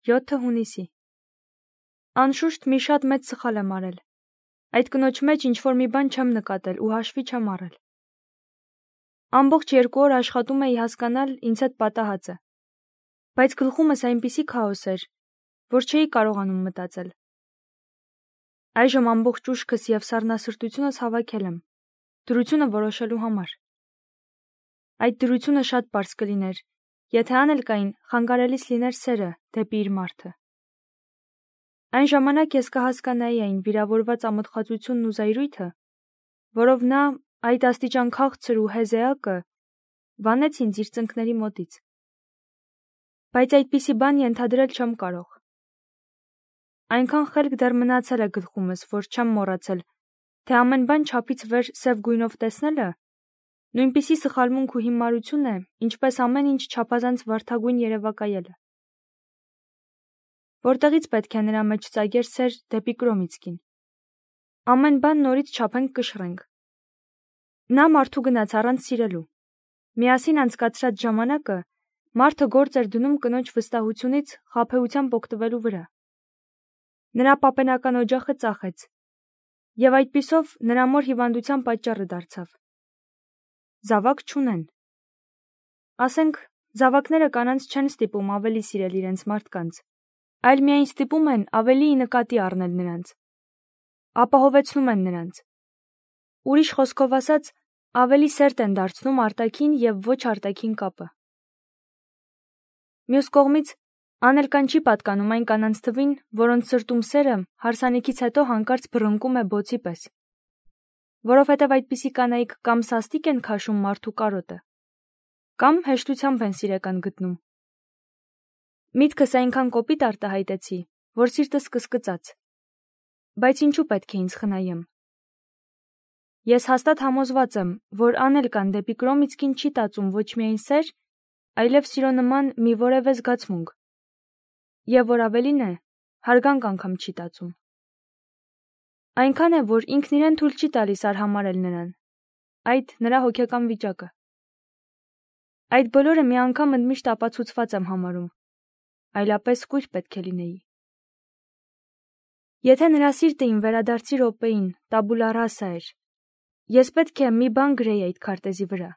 7 հունիսի։ Անշուշտ մի շատ մեծ սխալ եմ արել։ Այդ կնոջ մեջ ինչ-որ մի բան չեմ նկատել ու հաշվի չեմ առել։ Ամբողջ 2 օր աշխատում էի հասկանալ ինձ հետ պատահածը, բայց գլխումս այնպիսի քաոս էր, որ չէի կարողանում մտածել։ Այժմ ամբողջ ուշքս և սառնասրտությունս հավաքել եմ, դրությունը որոշելու համար։ Այդ դրությունը շատ պարզ կլիներ, եթե անել կային խանգարելիս լիներ սերը դեպի իր մարդը։ Այն ժամանակ ես կհասկանայի այն վիրավորված ամոթխածությունն ու զայրույթը, որով նա այդ աստիճան քաղցր ու հեզ էակը վանեց ինձ իր ծնկների մոտից։ Բայց այդպիսի բան ենթադրել չեմ կարող։ Այնքան խելք դեռ մնացել է գլխումս, որ չեմ մոռացել, թե ամեն բան չափից վեր սև գույնով տեսնելը նույնպիսի սխալմունք ու հիմարություն է, ինչպես ամեն ինչ չափազանց վարդագույն երևակայելը։ Որտեղից պետք է նրա մեջ ծագեր սեր դեպի Կրոմիցկին։ Ամեն բան նորից չափենք կշռենք։ Նա մարդու գնաց առանց սիրելու։ Միասին անցկացրած ժամանակը մարդը գործ էր դնում կնոջ վստահությունից խաբեությամբ օգտվելու վրա։ Նրա պապենական օջախը ծախեց, և այդպիսով նրա մոր հիվանդության պատճառը դարձավ։ Զավակ չունեն։ Ասենք, զավակները կանանց չեն ստիպում ավելի սիրել իրենց մարդկանց, այլ միայն ստիպում են ավելի ի նկատի առնել նրանց, ապահովեցնում են նրանց։ Ուրիշ խոսքով ասած, ավելի սերտ են դարձնում արտաքին և ոչ արտաքին կապը։ Մյուս կողմից, անել կան չի պատկանում այն կանանց թվին, որոնց սրտում սերը հարսանիքից հետո հանկարծ բռնկում է բոցի պես, որովհետև այդպիսի կանայք կամ սաստիկ են քաշում մարդու կարոտը, կամ հեշտությամբ են սիրեկան գտնում։ Միտքս այնքան կոպիտ արտահայտեցի, որ սիրտս կսկծաց, բայց ինչու պետք է ինձ խնայեմ։ Ես հաստատ համոզված եմ, որ անել կան դեպի Կրոմիցկին չի տածում ոչ միայն սեր, այլև սիրո նման մի որևէ զգացմունք, և որ ավելին է, հարգանք անգամ չի տածում։ Այնքան է, որ ինքն իրեն թույլ չի տալիս արհամարհել նրան, այդ նրա հոգեկան վիճակը։ Այդ բոլորը մի անգամ ընդմիշտ ապացուցված եմ համարում, այլապես կույր պետք է լինեի։ Եթե նրա սիրտը իմ վերադարձի րոպեին տաբուլա ռասա էր, ես պետք է մի բան գրեի այդ քարտեզի վրա։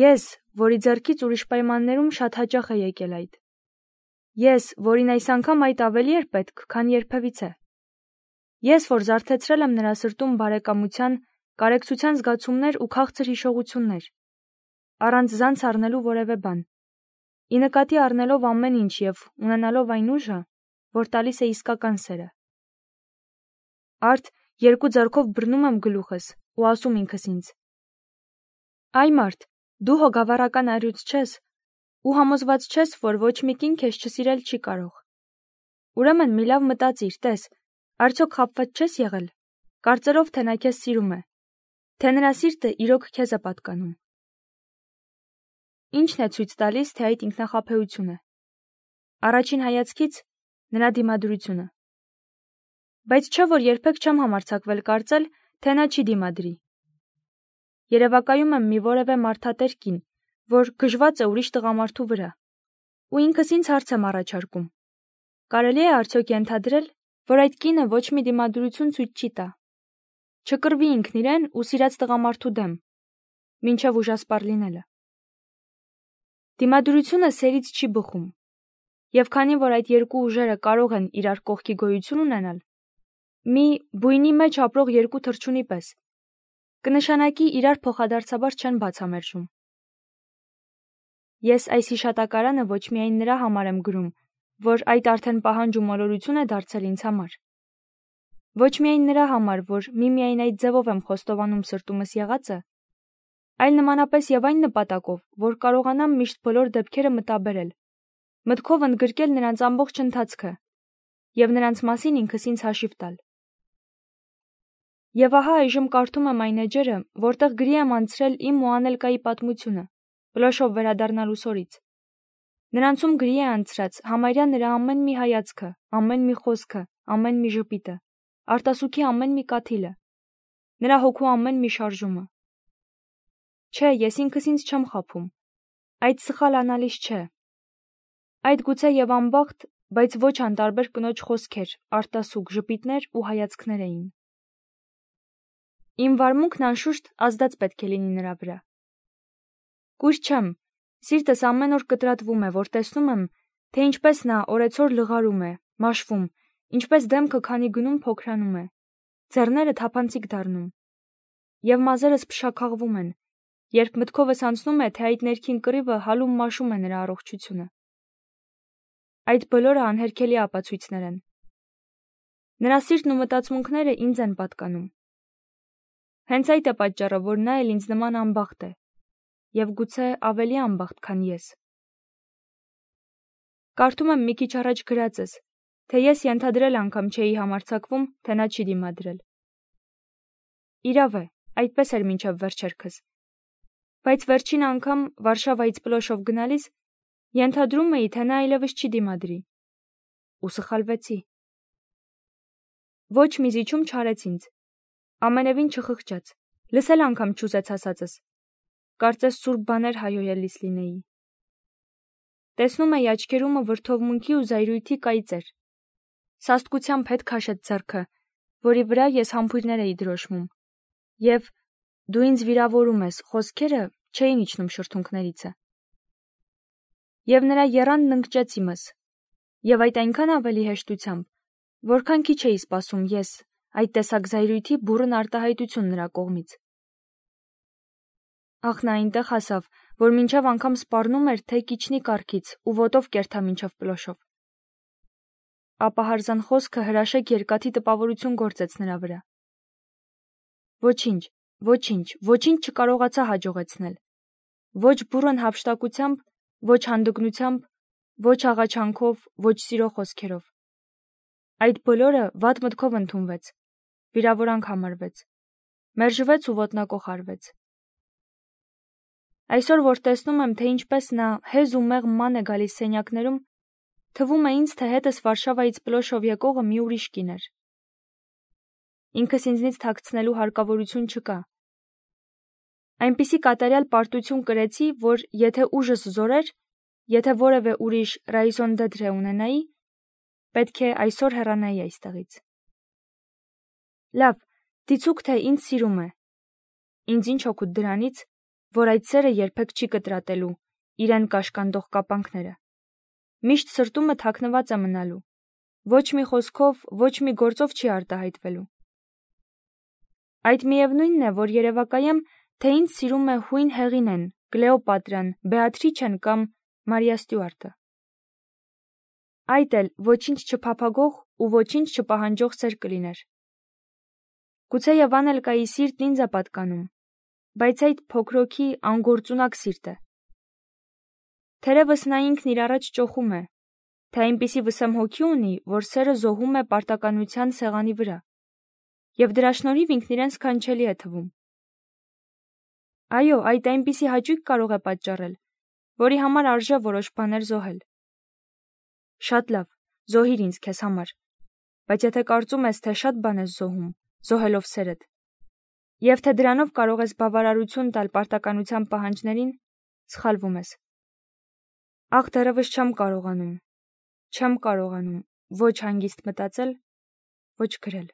Ես, որի ձեռքից ուրիշ պայմաններում շատ հաճախ է եկել այդ։ Ես, որին այս անգամ այդ ավելի էր պետք, քան երբևիցե։ Ես, որ զարթեցրել եմ նրա սրտում բարեկամության, կարեկցության զգացումներ ու քաղցր հիշողություններ, առանց զանց առնելու որևէ բան, ի նկատի առնելով ամեն ինչ և ունենալով այն ուժը, որ տալիս է իսկական սերը։ Արդ 2 ձեռքով բռնում եմ գլուխս ու ասում ինքս ինձ. «Այ մարդ, դու հոգավառական առյուծ չես ու համոզված չես, որ ոչ մի կին քեզ չսիրել չի կարող։ Ուրեմն մի լավ մտածիր, տես, արդյոք խաբված չես եղել, կարծելով, թե նա քեզ սիրում է, թե նրա սիրտը իրոք քեզ է պատկանում»։ Ինչն է ցույց տալիս, թե այդ ինքնախաբեություն է։ Առաջին հայացքից նրա դիմադրությունը։ Բայց չէ, որ երբեք չեմ համարձակվել կարծել, թե նա չի դիմադրի։ Երևակայում եմ մի որևէ մարդատեր կին, որ գժված է ուրիշ տղամարդու վրա, ու ինքս ինձ հարց եմ առաջարկում. կարելի է արդյոք ենթադրել, որ այդ կինը ոչ մի դիմադրություն ցույց չի տա, չկռվի ինքն իրեն ու սիրած տղամարդու դեմ, մինչև ուժասպառ լինելը։ Դիմադրությունը սերից չի բխում, և քանի որ այդ երկու ուժերը կարող են իրար կողքի գոյություն ունենալ, մի բույնի մեջ ապրող երկու թռչունի պես, կնշանակի իրար փոխադարձաբար չեն բացամերժում։ Ես այս հիշատակարանը ոչ միայն նրա համար եմ գրում, որ այդ արդեն պահանջ ու մոլորություն է դարձել ինձ համար, ոչ միայն նրա համար, որ միմիայն այդ ձևով եմ խոստովանում սրտումս եղածը, այլ նմանապես և այն նպատակով, որ կարողանամ միշտ բոլոր դեպքերը մտաբերել, մտքով ընդգրկել նրանց ամբողջ ընթացքը և նրանց մասին ինքս ինձ հաշիվ տալ։ Եվ ահա այժմ կարդում եմ այն էջերը, որտեղ գրի եմ անցրել իմ ու Անելկայի պատմությունը, Պլոշով վերադառնալուս օրից։ Նրանցում գրի է անցրած համարյա նրա ամեն մի հայացքը, ամեն մի խոսքը, ամեն մի ժպիտը, արտասուքի ամեն մի կաթիլը, նրա հոգու ամեն մի շարժումը։ Չէ, ես ինքս ինձ չեմ խաբում։ Այդ սխալ անալիզ չէ։ Այդ գուցե և անբախտ, բայց ոչ անտարբեր կնոջ խոսքեր, արտասուք, ժպիտներ ու հայացքներ էին։ Իմ վարմունքն անշուշտ ազդած պետք է լինի նրա վրա։ Կույր չեմ, սիրտս ամեն օր կտրատվում է, որ տեսնում եմ, թե ինչպես նա օրեցօր լղարում է, մաշվում, ինչպես դեմքը քանի գնում փոքրանում է, ձեռները թափանցիկ դառնում, եւ մազերս փշաքաղվում են, երբ մտքովս անցնում է, թե այդ ներքին կռիվը հալում մաշում է նրա առողջությունը։ Այդ բոլորը անհերքելի ապացույցներ են։ Նրա սիրտն ու մտածմունքները ինձ են պատկանում։ Հենց այդ է պատճառը, որ նա էլ ինձ նման անբախտ է, եւ գուցե ավելի անբախտ, քան ես։ Կարդում եմ մի քիչ առաջ գրածս, թե ես ենթադրել անգամ չէի համարձակվում, թե նա չի դիմադրել։ Իրավ է, այդպես էր մինչև վերջերքս։ Բայց վերջին անգամ Վարշավայից Պլոշով գնալիս ենթադրում էի, թե նա այլևս չի դիմադրի։ Ու սխալվեցի։ Ոչ մի զիջում չարեց ինձ։ Ամենևին չխղճաց։ Լսել անգամ չուզեց ասածս։ Կարծես սուրբ բաներ հայոյելիս լինեի։ Տեսնում էի աչքերումը վրդովմունքի ու զայրույթի կայծեր։ Սաստկությամբ հետ քաշեց ձեռքը, որի վրա ես համբույրներ էի դրոշմում։ Եվ դու ինձ վիրավորում ես, խոսքերը չէին իջնում շրթունքներիցը։ Եվ նրա եռանդն ընկճեց իմս, եւ այդ այնքան ավելի հեշտությամբ, որքան քիչ էի սպասում ես այդ տեսակ զայրույթի բուռն արտահայտություն նրա կողմից։ Ախ, նա այնտեղ հասավ, որ մինչև անգամ սպառնում էր, թե կիջնի կառքից ու ոտով կերթա մինչև Պլոշով։ Ապա հարզան խոսքը հրաշեք երկաթի տպավորություն գործեց նրա վրա։ Ոչինչ, ոչինչ չկարողացա հաջողեցնել։ Ոչ բուռն հափշտակությամբ, ոչ հանդգնությամբ, ոչ աղաչանքով, ոչ սիրո խոսքերով։ Այդ բոլորը վատ մտքով ընդունվեց, վիրավորանք համարվեց, մերժվեց ու ոտնակոխ արվեց։ Այսօր, որ տեսնում եմ, թե ինչպես նա հեզ ու մեղմ ման է գալիս սենյակներում, թվում է ինձ, թե հետս Վարշավայից Պլոշով եկողը մի ուրիշ կին էր։ Ինքս ինձնից թաքցնելու հարկավորություն չկա։ Այնպիսի կատարյալ պարտություն կրեցի, որ եթե ուժս զորեր, եթե որևէ ուրիշ raison d'être ունենայի, պետք է այսօր հեռանայի այստեղից։ Լավ, դիցուք թե ինձ սիրում է։ Ինձ ինչ օգուտ դրանից, որ այդ սերը երբեք չի կտրատելու իրեն կաշկանդող կապանքները։ Միշտ սրտումը թաքնված է մնալու։ Ոչ մի խոսքով, ոչ մի գործով չի արտահայտվելու։ Այդ միևնույնն է, որ երևակայեմ, թե ինձ սիրում է հույն Հեղինեն, Կլեոպատրան, Բեատրիչեն կամ Մարիա Ստյուարտը։ Այդ էլ ոչինչ չփափագող ու ոչինչ չպահանջող սեր կլիներ։ Գուցեև Անելկայի սիրտն ինձ է պատկանում, բայց այդ փոքրոքի անգործունակ սիրտ է։ Թերևս նա ինքն իր առաջ ճոխում է, թե այնպիսի վսեմ հոգի ունի, որ սերը զոհում է պարտականության սեղանի վրա, եւ դրա շնորհիվ ինքն իրեն սքանչելի է թվում։ Այո, այդ այնպիսի հաճույք կարող է պատճառել, որի համար արժե որոշ բաներ զոհել։ Շատ լավ, զոհիր ինձ քեզ համար, բայց եթե կարծում ես, թե շատ բան ես զոհում, զոհելով սերդ, եւ թե դրանով կարող ես բավարարություն տալ պարտականության պահանջներին, սխալվում ես։ Ախ, դեռևս չեմ կարողանում ոչ հանգիստ մտածել, ոչ գրել։